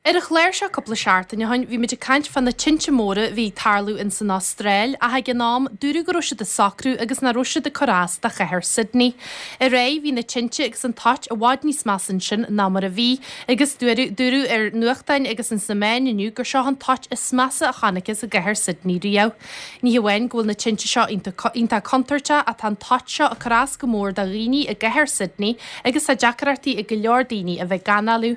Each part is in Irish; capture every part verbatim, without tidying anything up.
Ar an chlár seo cúpla seachtain ó shin bhí muid ag caint fá na tinte móra a bhí ag tarlú ins an Astráil ach ag an am dúradh go raibh siad ag socrú agus nach raibh siad ag cur as do chathair Sydney. Aréir bhí na tinte agus an toit i bhfad níos measa ansin ná mar a bhí agus dúradh dúradh ar nuachtáin agus ins na meáin inniu gur seo an toit is measa a chonacthas i gcathair Sydney riamh. Ní hamháin go bhfuil na tinte seo iontach contúirteach ach tá an toit seo ag cur as go mór do dhaoine i gcathair Sydney agus tá deacrachtaí ag go leor daoine a bheith ag análú.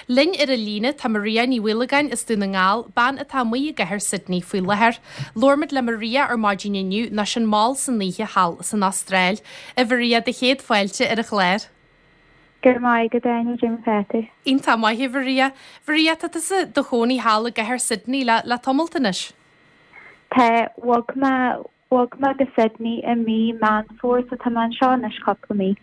Linn ar an líne tá Maria Ní Mhaolagáin as Dún na nGall, bean atá amuigh i gcathair Sydney faoi láthair. Labhair muid le Maria ar maidin inniu ná sin mall san oíche thall san Astráil. A Mharia do chéad fáilte ar an chlár. Go raibh maith agat Áine cad é mar atá tú. Iontach maith a Mharia. Maria tá tusa i do chónaí thall i gcathair Sydney le le tamalt anois. Tá bhog mé bhog mé go Sydney i mí Meán Fómhair so tá mé anseo anois cúpla mí.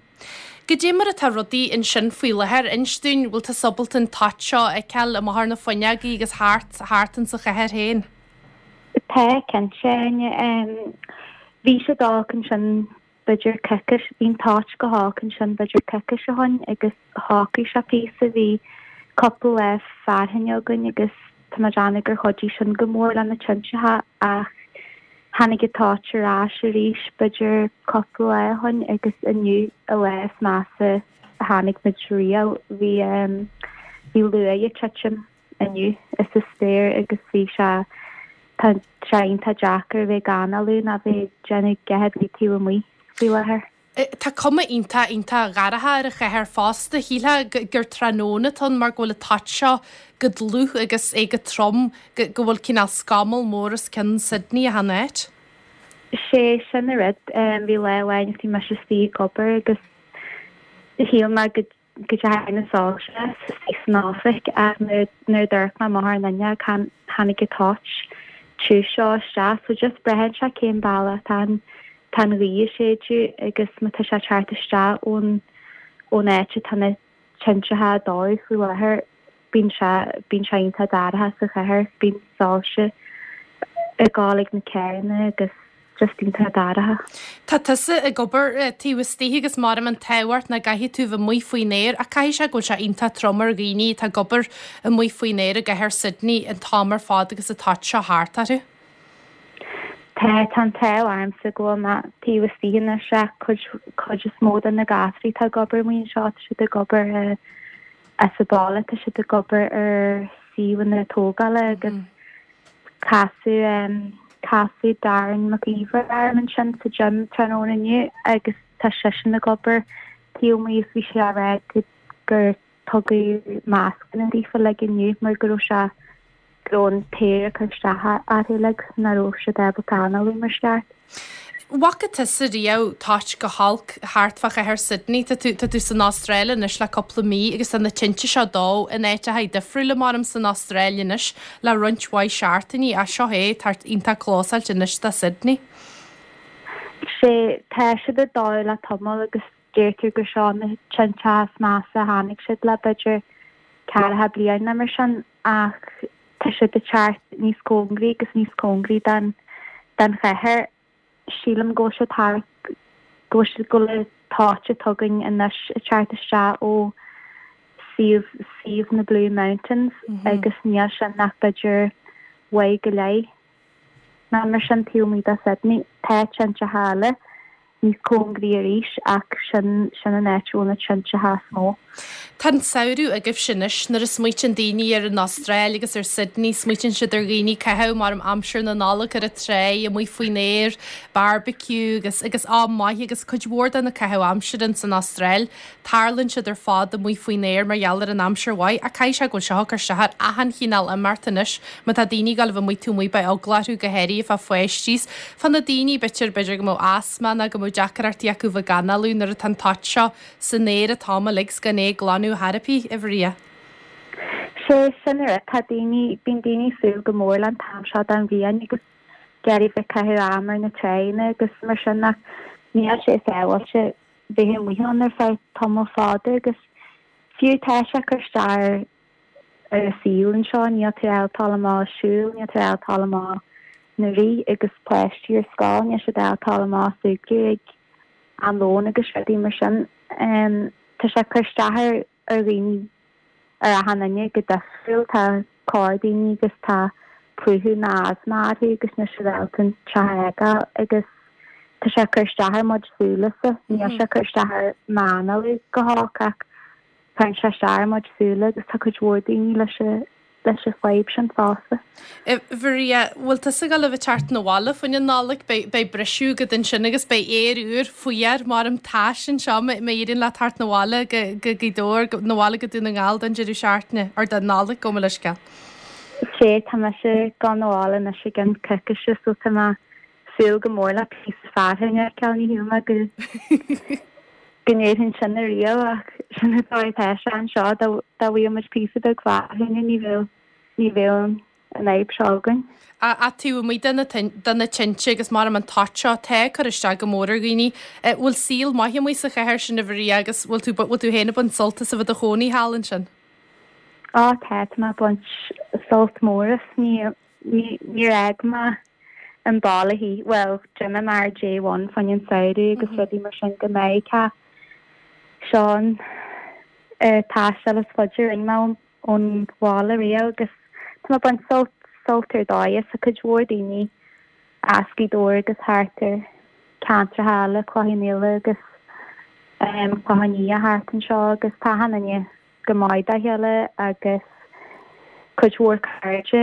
Cad é mar atá rudaí ansin faoi láthair inis dúinn bhfuil tú ábalta an toit seo a fheiceáil amach ar na fuinneogaí agus thart thart insa chathair féin. Tá cinnte um, bhí sé olc ansin b'fhéidir coicís bhí an toit go holc ansin b'fhéidir coicís ó shin agus shocraigh sé píosa bhí cúpla lá fearthainne againn agus tá mé ag déanamh gur chuidigh sin go mór le na tinte ach tháinig an toit ar ais arís b'fhéidir cúpla lá ó shin agus inniu an lá is measa a chonaic muid riamh bhí um, bhí luaith ag titim inniu is sa spéir agus bhí sé tá sé iontach deacair bheith ag análú ná bheith déanamh a dhath taobh amuigh faoi láthair. Tá cuma iontach iontach dorcha ar an chathair fosta shílfeá gur tráthnóna atá ann mar go bhfuil an toit seo go dlúth agus é go trom go bhfuil cineál scamall mór os cionn Sydney achan áit. Sé sin an rud um, bhí lá amháin bhí mise istigh ag obair agus shíl mé go go dtearn soilse san oifig ach nuair a d'amharc mé amach an fhuinneog tháinig an toit tiubh seo isteach so just braitheann sé cén bealach tá an tá an ghaoth ag séideadh agus má tá sé teacht isteach ón ón áit atá na tinte ag dó faoi láthair bíonn sé bíonn sé iontach dorcha sa chathair bíonn soilse ag gabháil ag na carranna agus just iontach dorcha. Tá tusa ag obair taobh istigh agus mar an táhart na gcaithfidh tú bheith amuigh faoin aer a caithfidh sé go bhfuil sé iontach trom ar dhaoine atá ag obair amuigh faoin aer i gcathair Sydney an t-am ar fad agus an toit seo thart orthu. Tá tá an t-ádh ormsa go bhfuil mé taobh istigh anois ach cuid cuid is mó de na gasraí atá ag obair amuigh anseo tá siad ag obair as an baile tá siad ag obair ar suíomhanna tógála agus casadh um, casadh Darren McIver orm ansin sa gym tráthnóna inniu agus tá seisean ag obair taobh amuigh is bhí sé á rá gur tugadh mascanna daofa le inniu mar go raibh sé go raibh an t-aer ag cur isteach orthu like nach raibh siad ábalta análú mar cheart. Bhfaca tusa riamh toit chomh holc thart fá chathair Sydney tá tú tá tú san Astráil anois le cúpla mí agus tá na tinte seo ag dó in áiteacha difriúla mar san Astráil anois le roinnt mhaith seachtainí as seo é tar iontach clósáilte anois do Sydney. Sé tá siad ag dó le tamall agus deirtear gur seo na tinte is measa a chonaic siad le b'fhéidir ceathracha bliain nó mar sin ach tá siad ag teacht níos cóngaraí agus níos cóngaraí den den chathair sílim go bhfuil sé thart go bhfuil siad go bhfuil an toit atá againn anois ag teacht isteach ó suíomh suíomh na Blue Mountains mm -hmm. agus níl sin ach b'fhéidir uair go leith ná mar sin taobh amuigh de Sydney tá tinte eile níos cóngaraí arís ach sin sin an áit a bhfuil na tinte is mó. Tá an samhradh agaibh anois nuair a smaoitíonn daoine ar an Astráil agus ar Sydney smaoitíonn siad ar dhaoine caitheamh mar am aimsir na Nollag ar an trá amuigh faoin aer, barbecue agus agus am maith agus cuid mhór de na caitheamh aimsire san Astráil, tarlaíonn siad ar fad amuigh faoin aer mar gheall ar an aimsir mhaith a caithfidh sé go bhfuil seo ag cur isteach ar achan chineál imeacht anois má tá daoine ag gabháil a bheith amuigh taobh amuigh beidh eagla orthu go háirithe fá pháistí fá na daoine b'fhéidir b'fhéidir go mbeadh asma nó go mbeadh deacrachtaí acu bheith ag análú nuair atá an toit seo san aer an t-am uilig gan é glanadh thar a Mharia. Sé sin ar tá daoine bíonn daoine ag súil go mór le an t-am seo den bhliain agus ag iarraidh bheith caitheamh am ar na tránna agus mar sin ach níl sé sábháilte bheith amuigh ann ar feadh tamall fada agus fiú tá sé ag cur isteach ar ar an saol anseo níl tú ábalta dul amach siúl, níl tú ábalta dul amach na rith agus páistí ar scoil, níl siad ábalta dul amach súgradh ag am lóin agus rudaí mar sin. Um, tá sé ag cur isteach ar ar dhaoine ar achan duine go difriúil. Tá corrdhaoine agus tá plúchadh nó asma orthu agus níl siad ábalta an teach a fhágáil agus tá sé ag cur isteach ar mo chuid súile-sa. Níl sé ag cur isteach ar m'análú go holc ach cuireann sé isteach ar mo chuid súile agus tá cuid mhór daoine leis an leis an fadhb sin fosta. Mharia, bhfuil tusa ag gabháil a bheith ag teacht 'na bhaile fá choinne Nollag, beidh briseadh agat ansin agus beidh aer úr fuar maram tais anseo má éiríonn leat teacht 'na bhaile go Gaoth Dobhair, 'na bhaile go Dún na nGall don deireadh seachtaine, or don Nollaig, gabh mo leithscéal. Sea, tá mise ag gabháil 'na bhaile anois i gcionn coicíse so tá mé súil go mór le píosa fearthainne a fheiceáil, ní shíl mé go go ndéarfainn sin ariamh ach sin an dóigh atá sé anseo, dá bhfaigheadh muid píosa beag fearthainne ní bheadh ní bheadh an fhadhb seo againn. Ach taobh amuigh de na tinte agus maram an toit seo atá ag cur isteach go mór ar dhaoine, bhfuil saol maith amuigh sa chathair sin a Mharia agus bhfuil tú bhfuil tú féin ag baint sult as a bheith i do chónaí thall ansin? Á tá, tá mé ag baint sult mór as, ní níor fhág mé an baile choíche, bhuel d'imigh mé ar day one fá choinne an samhradh agus rudaí mar sin go Meiriceá. Seo an taisteal is faide a rinne mé ón bhaile riamh agus tá mé ag baint sult sult ar dóigh as. Tá cuid mhór daoine as Gaoth Dobhair agus thart ar ceantracha eile, Cloich Cheann Fhaola agus Clochán Liath thart anseo agus tá achan duine go maith dá chéile agus cuid mhór cairde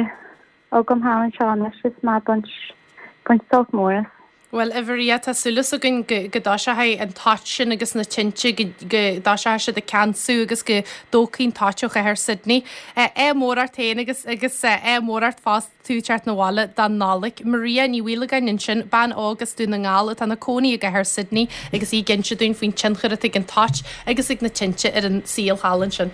agam thall anseo anois is mé ag baint baint sult mór as. Bhuel, a Mharia, tá súil againn go go dtoiseoidh an toit sin agus na tinte go go dtoiseoidh siad ag ceansú agus go dtógfaidh an toit ó chathair Sydney. Ádh mór ort féin agus agus ádh mór ort fosta tú ag teacht 'na bhaile don Nollaig. Maria Ní Mhaolagáin ansin, bean óg as Dún na nGall atá ina cónaí i gcathair Sydney agus í ag inse dúinn faoin tionchar atá ag an toit agus ag na tinte ar an saol thall ansin.